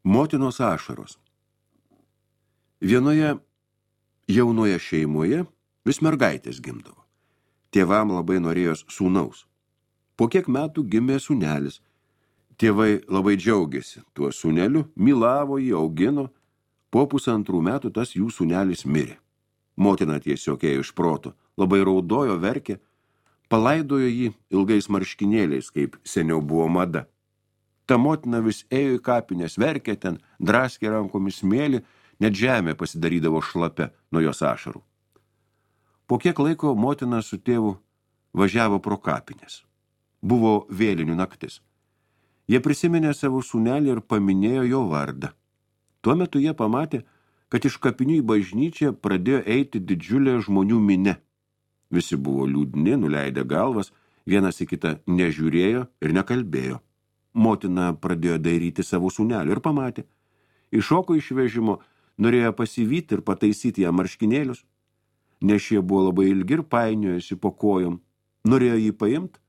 Motinos ašaros. Vienoje jaunoje šeimoje vis mergaitės gimdavo. Tėvam labai norėjos sūnaus. Po kiek metų gimė sūnelis. Tėvai labai džiaugiasi tuo sūneliu, mylavo jį, augino. Po 1,5 metų tas jų sūnelis mirė. Motina tiesiog ėjo iš proto, labai raudojo, verkė, palaidojo jį ilgais marškinėliais, kaip seniau buvo mada. Ta motina vis ėjo į kapines, verkė ten, draskė rankomis smėlį, net žemė pasidarydavo šlapia nuo jos ašarų. Po kiek laiko motina su tėvu važiavo pro kapines. Buvo vėlinių naktis. Jie prisiminė savo sūnelį ir paminėjo jo vardą. Tuo metu jie pamatė, kad iš kapinių į bažnyčią pradėjo eiti didžiulė žmonių minia. Visi buvo liūdni, nuleidę galvas, vienas į kitą nežiūrėjo ir nekalbėjo. Motina pradėjo dairyti savo sūnelį ir pamatė. Iššoko iš vežimo, norėjo pasivyti ir pataisyti jam marškinėlius. Nes šie buvo labai ilgi ir painiojosi po kojom. Norėjo jį paimti,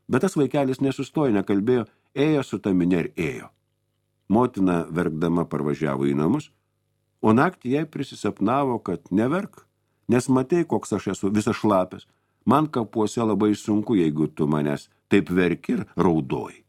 bet tas vaikelis nesustojo, nekalbėjo, ėjo su ta minia ir ėjo. Motina verkdama parvažiavo į namus, o naktį jai prisisapnavo, kad neverk, nes matei, koks aš esu visas šlapės. Man kapuose labai sunku, jeigu tu manęs taip verki ir raudoji.